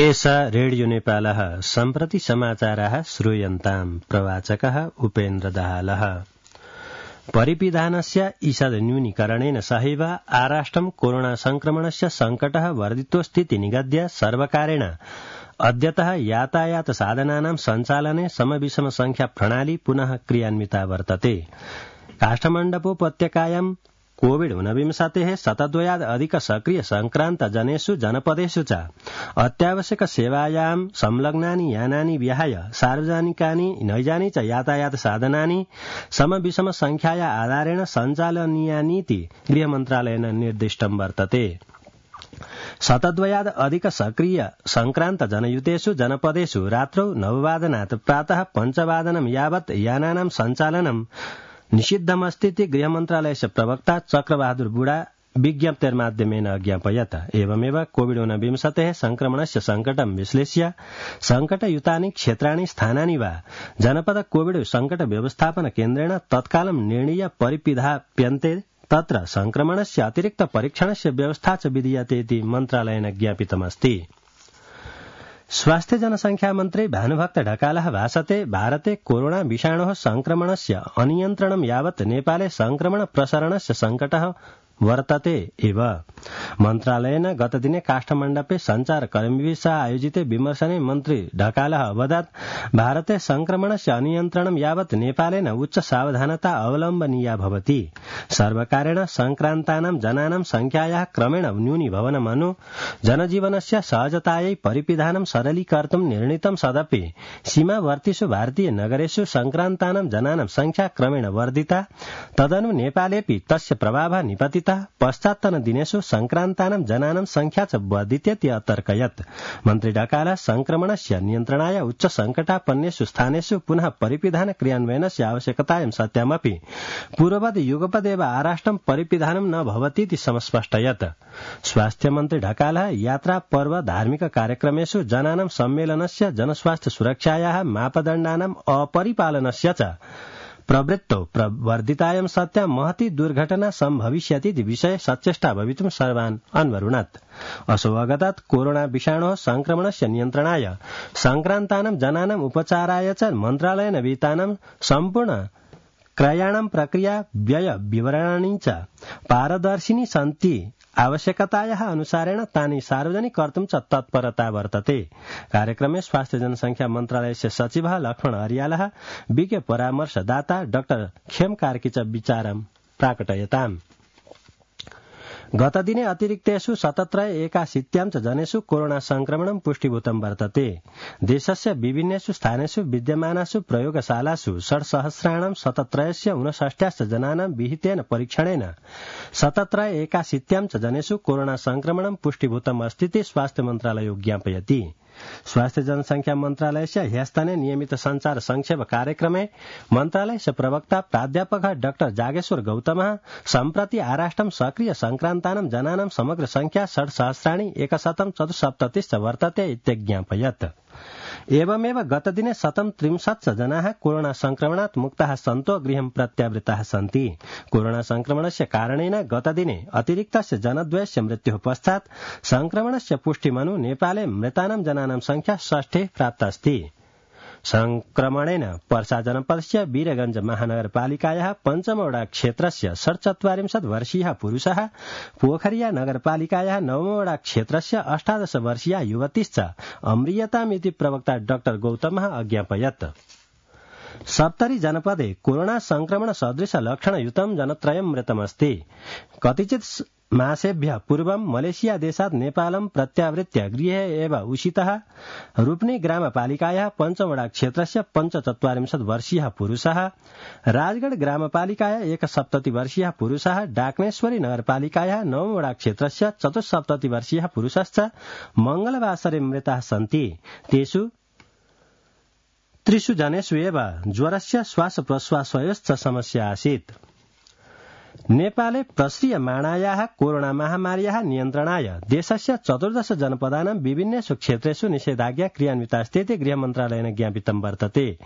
एष रेडियो नेपालः सम्प्रति समाचाराः श्रूयन्ताम्। प्रवाचकः उपेन्द्र दाहालः। परिपिधानस्य ईषद् न्यूनीकरणेन सहैव आराष्ट्रं कोरोना संक्रमणस्य संकटः वर्धितोऽस्तीति निगद्य सर्वकारेण अद्यतः यातायात साधनानां सञ्चालने समविषम संख्या प्रणाली पुनः क्रियान्विता वर्तते। काष्ठमण्डपोपत्यकायां कोविड-19 शतद्वयाद् अधिक सक्रिय संक्रान्त जनेषु जनपदेषु च अत्यावश्यक सेवायां संलग्नानि यानानि विहाय सार्वजनिकानि नैजानि च यातायात साधनानि समविषम संख्याया आधारेण सञ्चालनीयानीति गृहमन्त्रालयेन निर्दिष्टं वर्तते। शतद्वयाद् अधिक सक्रिय संक्रान्त जनयुतेषु जनपदेषु रात्रौ 9 वादनात् प्रातः 5 वादनं यावत् यानानां सञ्चालनं निषिद्धमस्तीति गृहमन्त्रालयस्य प्रवक्ता चक्रबहादुर बुढा विज्ञप्तेर्माध्यमेन अज्ञापयत्। एवमेव कोविड-19 संक्रमणस्य संकटं विश्लेष्य संकटयुतानि क्षेत्राणि स्थानानि वा जनपद कोविड संकट व्यवस्थापन केन्द्रेण तत्कालं निर्णीय परिपिधाप्यन्ते तत्र संक्रमणस्य अतिरिक्त परीक्षणस्य व्यवस्था च विधीयते इति मन्त्रालयेन ज्ञापितमस्ति। स्वास्थ्य जनसंख्या मन्त्री भानुभक्त ढकालः भाषते भारते कोरोना विषाणोः संक्रमणस्य अनियन्त्रणं यावत् नेपाले संक्रमण प्रसरणस्य संकटः वर्तते एव। मन्त्रालयेन गतदिने काष्ठमण्डपे सञ्चारकर्मिभिः सह आयोजिते विमर्शने मन्त्री ढकालः अवदत् भारते संक्रमणस्य अनियन्त्रणं यावत् नेपालेन उच्च सावधानता अवलम्बनीया भवति। सर्वकारेण संक्रान्तानां जनानां संख्यायाः क्रमेण न्यूनीभवनमनु जनजीवनस्य सहजतायै परिपिधानं सरलीकर्तुं निर्णीतं सदपि सीमावर्तिषु भारतीय नगरेषु संक्रान्तानां जनानां संख्या क्रमेण वर्धिता। तदनु नेपालेपि तस्य प्रभावः निपतितः। पश्चात्तन दिनेषु संक्रान्तानां जनानां संख्या च वर्धितेति अतर्कयत्। मन्त्री ढकालः संक्रमणस्य नियन्त्रणाय उच्च संकटापन्नेषु स्थानेषु पुनः परिपिधान क्रियान्वयनस्य आवश्यकतायां सत्यामपि पूर्ववद् युगपदेव आराष्ट्रं परिपिधानं न भवतीति समस्पष्टयत्। स्वास्थ्य मन्त्री ढकालः यात्रा पर्व धार्मिक कार्यक्रमेषु जनानां सम्मेलनस्य जनस्वास्थ्य सुरक्षायाः मापदण्डानां अपरिपालनस्य च प्रवृत्तौ प्रवर्धितायां सत्यां महती दुर्घटना सम्भविष्यति विषये सचेष्टा भवितुं सर्वान् अन्वरुणत्। असौ अगतात् कोरोना विषाणोः संक्रमणस्य नियन्त्रणाय संक्रान्तानां जनानां उपचाराय च मन्त्रालयेन विहितानां सम्पूर्ण क्रयाणां प्रक्रिया व्यय विवरणानि च पारदर्शिनी सन्ति। आवश्यकतायाः अनुसारेण तानि सार्वजनिक कर्तुं च तत्परता वर्तते। कार्यक्रमे स्वास्थ्य जनसंख्या मन्त्रालयस्य सचिवः लक्ष्मण अर्यालः विज्ञ परामर्शदाता डाक्टर खेम कार्की च विचारं प्राकटयताम्। गतदिने अतिरिक्तेषु 1781 च जनेषु कोरोना संक्रमणं पुष्टिभूतं वर्तते। देशस्य विभिन्नेषु स्थानेषु विद्यमानासु प्रयोगशालासु 6,000,759 जनानां विहितेन परीक्षणेन 1781 च जनेषु कोरोना संक्रमणं पुष्टिभूतम् अस्तीति स्वास्थ्य मन्त्रालयो ज्ञापयति। स्वास्थ्य जनसंख्या मन्त्रालयस्य ह्यस्तने नियमित संचार संक्षेप कार्यक्रमे मन्त्रालयस्य प्रवक्ता प्राध्यापकः डाक्टर जागेश्वर गौतमः सम्प्रति आराष्ट्रं सक्रिय संक्रान्तानां जनानां समग्र संख्या 6,174 वर्तते इत्यज्ञापयत्। एवमेव गतदिने 163 जनाः कोरोना संक्रमणात् मुक्ताः सन्तो गृहं प्रत्यावृताः सन्ति। कोरोना संक्रमणस्य कारणेन गतदिने अतिरिक्तस्य जनद्वयस्य मृत्युः पश्चात् संक्रमणस्य पुष्टिमनु नेपाले मृतानां जनानां संख्या 6 प्राप्तास्ति। संक्रमणेन पर्सा जनपदस्य वीरगंज महानगरपालिकायाः 5 वडा क्षेत्रस्य 44 वर्षीयः पुरुषः, पोखरिया नगरपालिकायाः 9 वडा क्षेत्रस्य 18 वर्षीया युवतीश्च अम्रियतामिति प्रवक्ता डाक्टर गौतमः अज्ञापयत्। सप्तरी जनपदे कोरोना संक्रमण सदृश लक्षणयुतं जनत्रयं मृतमस्ति। कतिचित् मासेभ्यः पूर्वं मलेशिया देशात् नेपालं प्रत्यावृत्य गृहे एव उषितः रूपनी ग्रामपालिकायाः 5 वडा क्षेत्रस्य 45 वर्षीयः पुरुषः, राजगढ़ ग्रामपालिकायाः 71 वर्षीयः पुरुषः, डाक्नेश्वरी नगरपालिकायाः 9 वडा क्षेत्रस्य 74 वर्षीयः पुरुषश्च मंगलवासरे मृताः सन्ति। तेषु 3 जनेषु एव ज्वरस्य श्वासप्रश्वासयोश्च समस्या आसीत्। नेपाले प्रश्रियमाणायाः कोरोना महामार्याः नियन्त्रणाय देशस्य 14 जनपदानां विभिन्नेषु क्षेत्रेषु निषेधाज्ञा क्रियान्वितास्तीति गृहमन्त्रालयेन ज्ञापितं वर्तते।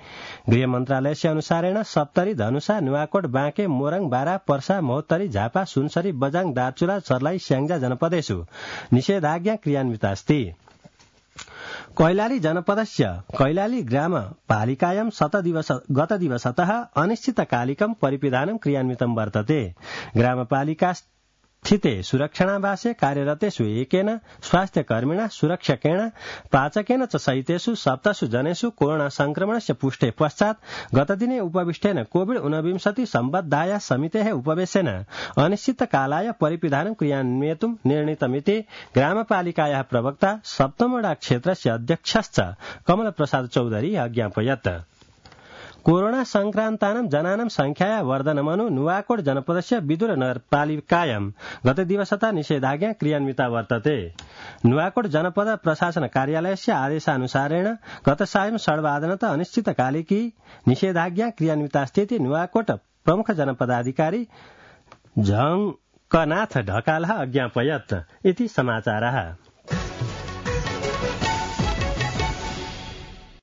गृहमन्त्रालयस्य अनुसारेण सप्तरी, धनुषा, नुवाकोट, बाँके, मोरङ, बारा, पर्सा, महोत्तरी, झापा, सुनसरी, बझाङ, दार्चुला, सर्लाही, स्याङ्जा जनपदेषु निषेधाज्ञा क्रियान्वितास्ति। कैलाली जनपदस्य कैलाली ग्राम पालिकायां गतदिवसतः अनिश्चितकालिकं परिपिधानं क्रियान्वितं वर्तते। ग्रामपालिका स्थिते सुरक्षणावासे कार्यरतेषु एकेन स्वास्थ्यकर्मिणा सुरक्षकेण पाचकेन च सहितेषु 7 जनेषु कोरोना संक्रमणस्य पुष्टे पश्चात् गतदिने उपविष्टेन कोविड-19 सम्बद्धाया समितेः उपवेशेन अनिश्चितकालाय परिपिधानं क्रियान्वयितुं निर्णीतमिति ग्रामपालिकायाः प्रवक्ता सप्तमोडा क्षेत्रस्य अध्यक्षश्च कमलप्रसाद चौधरी अज्ञापयत्। कोरोना संक्रान्तानां जनानां संख्याया वर्धनमनु नुवाकोट जनपदस्य विदुर नगरपालिकायां गतदिवसतः निषेधाज्ञा क्रियान्विता वर्तते। नुवाकोट जनपद प्रशासन कार्यालयस्य आदेशानुसारेण गत सायं 8:30 अनिश्चितकालिकी निषेधाज्ञा क्रियान्वितास्तीति नुवाकोट प्रमुख जनपदाधिकारी झङ्कनाथ ढकालः अज्ञापयत् इति समाचारः।